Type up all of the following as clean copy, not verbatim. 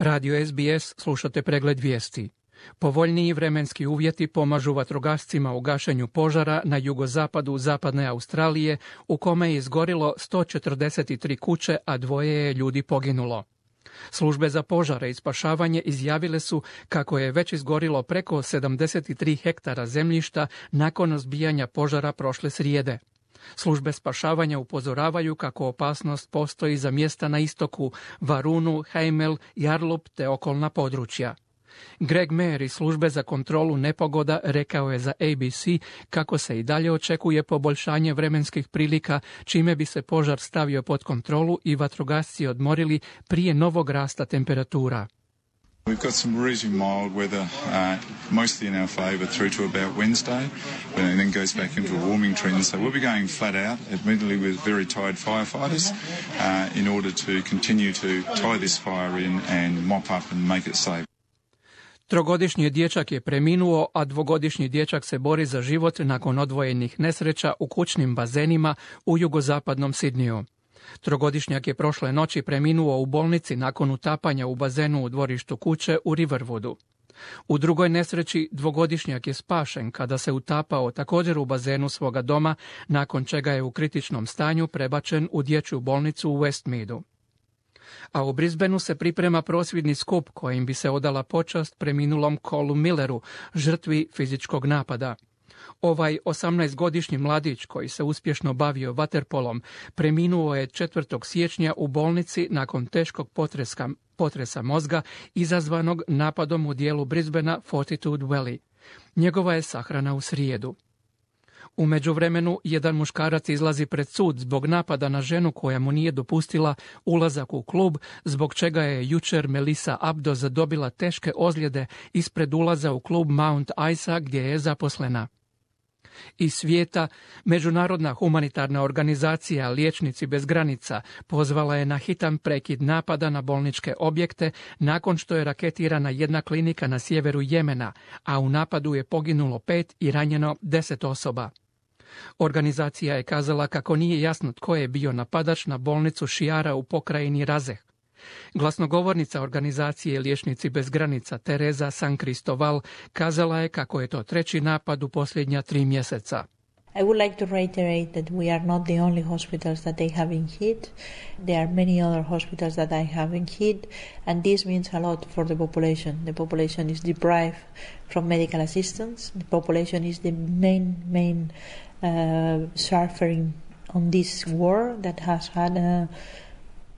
Radio SBS, slušate pregled vijesti. Povoljniji vremenski uvjeti pomažu vatrogascima u gašenju požara na jugozapadu zapadne Australije, u kome je izgorilo 143 kuće, a 2 je ljudi poginulo. Službe za požare i spašavanje izjavile su kako je već izgorilo preko 73 hektara zemljišta nakon zbijanja požara prošle srijede. Službe spašavanja upozoravaju kako opasnost postoji za mjesta na istoku, Varunu, Heimel, Yarlup te okolna područja. Greg Mayer iz službe za kontrolu nepogoda rekao je za ABC kako se i dalje očekuje poboljšanje vremenskih prilika, čime bi se požar stavio pod kontrolu i vatrogasci odmorili prije novog rasta temperatura. We've got some reasonably mild weather, mostly in our favour through to about Wednesday, and then goes back into a warming trend. So we'll be going flat out, admittedly with very tired firefighters, in order to continue to tie this fire in and mop up and make it safe. Trogodišnji dječak je preminuo, a 2-godišnji dječak se bori za život nakon odvojenih nesreća u kućnim bazenima u jugozapadnom Sidniju. Trogodišnjak je prošle noći preminuo u bolnici nakon utapanja u bazenu u dvorištu kuće u Riverwoodu. U drugoj nesreći 2-godišnjak je spašen kada se utapao također u bazenu svoga doma, nakon čega je u kritičnom stanju prebačen u dječju bolnicu u Westmeadu. A u Brisbaneu se priprema prosvjedni skup kojim bi se odala počast preminulom Colu Milleru, žrtvi fizičkog napada. Ovaj 18-godišnji mladić koji se uspješno bavio vaterpolom preminuo je 4. siječnja u bolnici nakon teškog potresa mozga izazvanog napadom u dijelu Brisbanea Fortitude Valley. Njegova je sahrana u srijedu. U međuvremenu, jedan muškarac izlazi pred sud zbog napada na ženu koja mu nije dopustila ulazak u klub, zbog čega je jučer Melissa Abdo zadobila teške ozljede ispred ulaza u klub Mount Isa gdje je zaposlena. Iz svijeta, Međunarodna humanitarna organizacija Liječnici bez granica pozvala je na hitan prekid napada na bolničke objekte nakon što je raketirana jedna klinika na sjeveru Jemena, a u napadu je poginulo 5 i ranjeno 10 osoba. Organizacija je kazala kako nije jasno tko je bio napadač na bolnicu Šiara u pokrajini Razeh. Glasnogovornica organizacije Liječnici bez granica Teresa San Cristoval kazala je kako je to 3. napad u posljednja 3 mjeseca. I would like to reiterate that we are not the only hospitals that they have been hit. There are many other hospitals that I have been hit, and this means a lot for the population. The population is deprived from medical assistance. The population is the main suffering on this war that has had a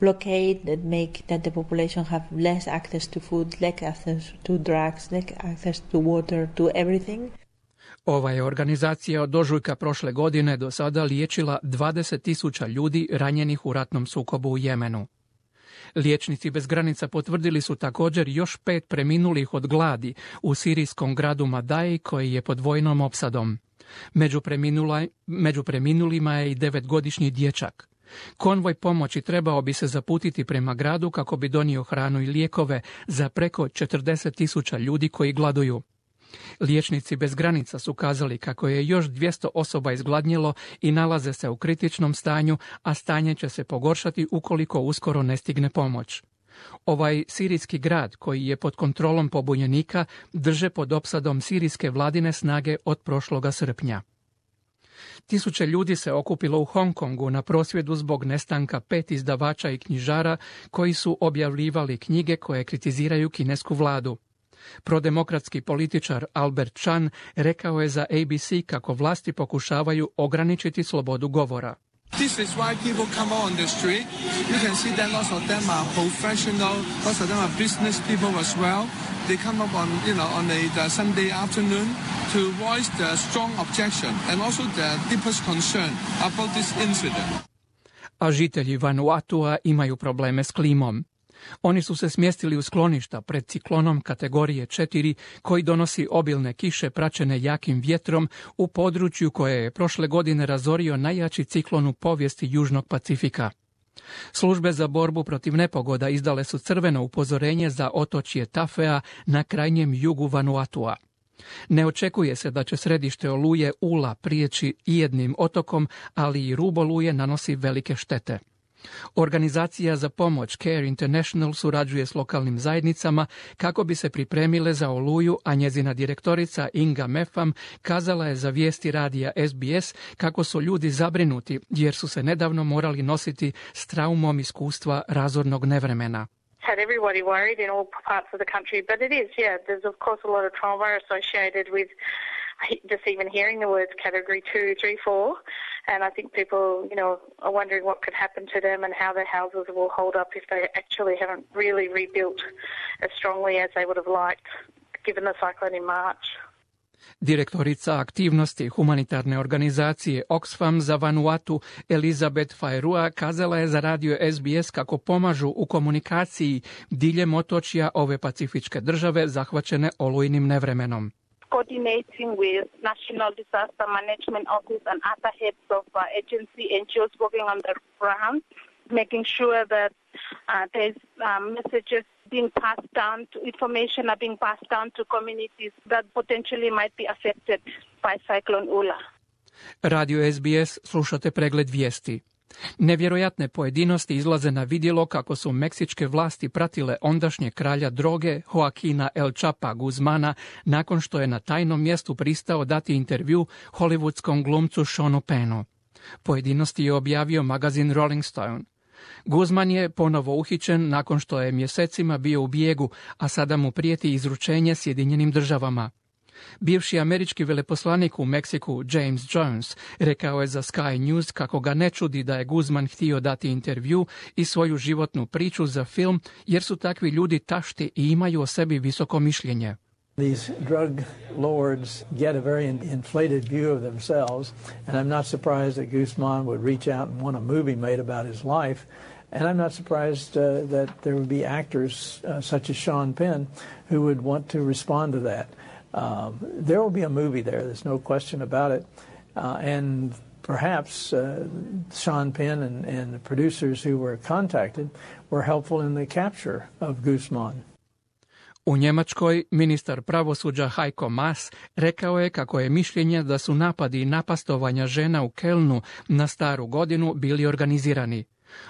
blockade that make that the population have less access to food, less access to drugs, less access to water, to everything. Ova je organizacija od ožujka prošle godine do sada liječila 20.000 ljudi ranjenih u ratnom sukobu u Jemenu. Liječnici bez granica potvrdili su također još 5 preminulih od gladi u sirijskom gradu Madai koji je pod vojnom opsadom. Među preminulima je i 9-godišnji dječak. Konvoj pomoći trebao bi se zaputiti prema gradu kako bi donio hranu i lijekove za preko 40.000 ljudi koji gladuju. Liječnici bez granica su kazali kako je još 200 osoba izgladnjelo i nalaze se u kritičnom stanju, a stanje će se pogoršati ukoliko uskoro ne stigne pomoć. Ovaj sirijski grad, koji je pod kontrolom pobunjenika, drže pod opsadom sirijske vladine snage od prošloga srpnja. Tisuće ljudi se okupilo u Hong Kongu na prosvjedu zbog nestanka 5 izdavača i knjižara koji su objavljivali knjige koje kritiziraju kinesku vladu. Prodemokratski političar Albert Chan rekao je za ABC kako vlasti pokušavaju ograničiti slobodu govora. This is why people come on the street. You can see that lots of them are professional, lots of them are business people as well. They come up on, on the Sunday afternoon to voice the strong objection and also the deepest concern about this incident. A žitelji Vanuatua imaju probleme s klimom. Oni su se smjestili u skloništa pred ciklonom kategorije 4 koji donosi obilne kiše praćene jakim vjetrom u području koje je prošle godine razorio najjači ciklon u povijesti Južnog Pacifika. Službe za borbu protiv nepogoda izdale su crveno upozorenje za otočje Tafea na krajnjem jugu Vanuatua. Ne očekuje se da će središte oluje Ula prijeći i jednim otokom, ali i rub oluje nanosi velike štete. Organizacija za pomoć Care International surađuje s lokalnim zajednicama kako bi se pripremile za Oluju, a njezina direktorica Inga Mefam kazala je za vijesti radija SBS kako su ljudi zabrinuti jer su se nedavno morali nositi s traumom iskustva razornog nevremena. Had everybody worried in all parts of the country, but it is, yeah, there's of course a lot of trauma associated with just even hearing the words category 2, 3, 4, and I think people, are wondering what could happen to them and how their houses will hold up if they actually haven't really rebuilt as strongly as they would have liked, given the cyclone in March. Direktorica aktivnosti humanitarne organizacije Oxfam za Vanuatu Elizabeth Fairua kazala je za radio SBS kako pomažu u komunikaciji diljem otočja ove pacifičke države zahvaćene olujnim nevremenom. Coordinating with National Disaster Management Office and other heads of agency NGOs working on the ground, making sure that there's messages being passed down, information are being passed down to communities that potentially might be affected by Cyclone Ula. Radio SBS slušate pregled vijesti. Nevjerojatne pojedinosti izlaze na vidjelo kako su meksičke vlasti pratile ondašnje kralja droge Joaquina El Chapa Guzmana nakon što je na tajnom mjestu pristao dati intervju hollywoodskom glumcu Seanu Pennu. Pojedinosti je objavio magazin Rolling Stone. Guzman je ponovo uhićen nakon što je mjesecima bio u bijegu, a sada mu prijeti izručenje Sjedinjenim državama. Bivši američki veleposlanik u Meksiku James Jones rekao je za Sky News kako ga ne čudi da je Guzman htio dati intervju i svoju životnu priču za film jer su takvi ljudi tašti i imaju o sebi visoko mišljenje. These drug lords get a very inflated view of themselves, and I'm not surprised that Guzman would reach out and want a movie made about his life, and I'm not surprised that there would be actors such as Sean Penn who would want to respond to that. There will be a movie there, there's no question about it, and perhaps Sean Penn and the producers who were contacted were helpful in the capture of Guzman. U Njemačkoj ministar pravosuđa Heiko Maas rekao je kako je mišljenje da su napadi i napastovanja žena u Kelnu na Staru godinu bili organizirani.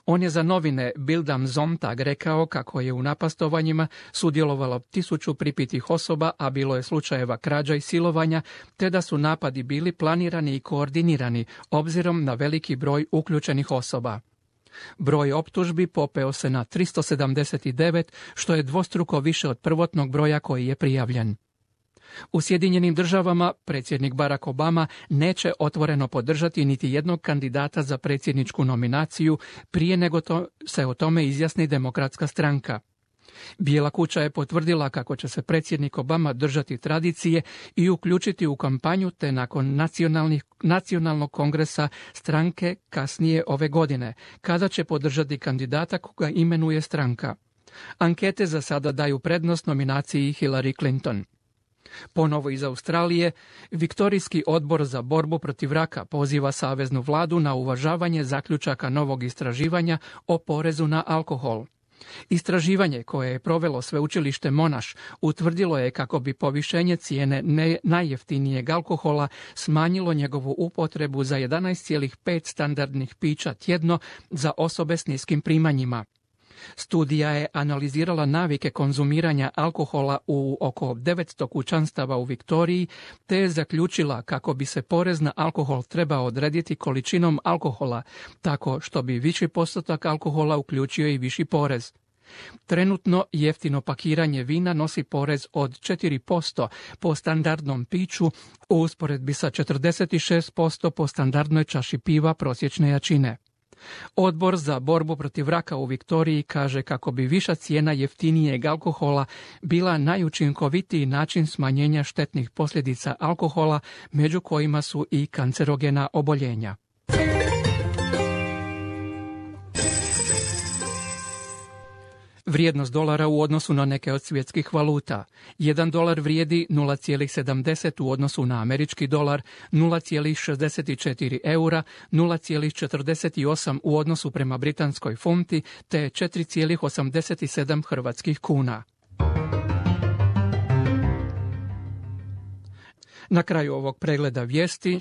On je za novine Bild am Sonntag rekao kako je u napastovanjima sudjelovalo 1000 pripitih osoba, a bilo je slučajeva krađa i silovanja, te da su napadi bili planirani i koordinirani obzirom na veliki broj uključenih osoba. Broj optužbi popeo se na 379, što je dvostruko više od prvotnog broja koji je prijavljen. U Sjedinjenim državama predsjednik Barack Obama neće otvoreno podržati niti jednog kandidata za predsjedničku nominaciju prije nego se o tome izjasni Demokratska stranka. Bijela kuća je potvrdila kako će se predsjednik Obama držati tradicije i uključiti u kampanju te nakon nacionalnog kongresa stranke kasnije ove godine, kada će podržati kandidata koga imenuje stranka. Ankete za sada daju prednost nominaciji Hillary Clinton. Ponovo iz Australije, Viktorijski odbor za borbu protiv raka poziva saveznu vladu na uvažavanje zaključaka novog istraživanja o porezu na alkohol. Istraživanje koje je provelo sveučilište Monash utvrdilo je kako bi povišenje cijene najjeftinijeg alkohola smanjilo njegovu upotrebu za 11,5 standardnih pića tjedno za osobe s niskim primanjima. Studija je analizirala navike konzumiranja alkohola u oko 900 kućanstava u Viktoriji, te je zaključila kako bi se porez na alkohol trebao odrediti količinom alkohola, tako što bi viši postotak alkohola uključio i viši porez. Trenutno jeftino pakiranje vina nosi porez od 4% po standardnom piću u usporedbi sa 46% po standardnoj čaši piva prosječne jačine. Odbor za borbu protiv raka u Viktoriji kaže kako bi viša cijena jeftinijeg alkohola bila najučinkovitiji način smanjenja štetnih posljedica alkohola, među kojima su i kancerogena oboljenja. Vrijednost dolara u odnosu na neke od svjetskih valuta. 1 dolar vrijedi 0,70 u odnosu na američki dolar, 0,64 eura, 0,48 u odnosu prema britanskoj funti, te 4,87 hrvatskih kuna. Na kraju ovog pregleda vijesti,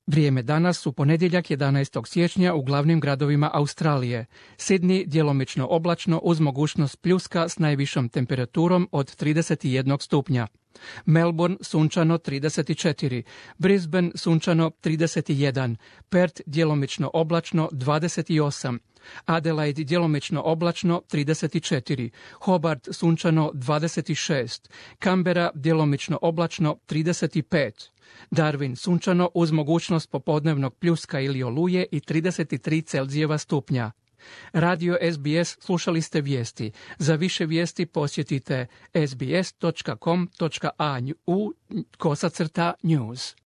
Vrijeme danas u ponedjeljak 11. siječnja u glavnim gradovima Australije. Sydney djelomično oblačno uz mogućnost pljuska s najvišom temperaturom od 31 stupnja. Melbourne sunčano 34, Brisbane sunčano 31, Perth djelomično oblačno 28, Adelaide djelomično oblačno 34, Hobart sunčano 26, Canberra djelomično oblačno 35, Darwin sunčano uz mogućnost popodnevnog pljuska ili oluje i 33 Celzijeva stupnja. Radio SBS slušali ste vijesti. Za više vijesti posjetite sbs.com.au/news.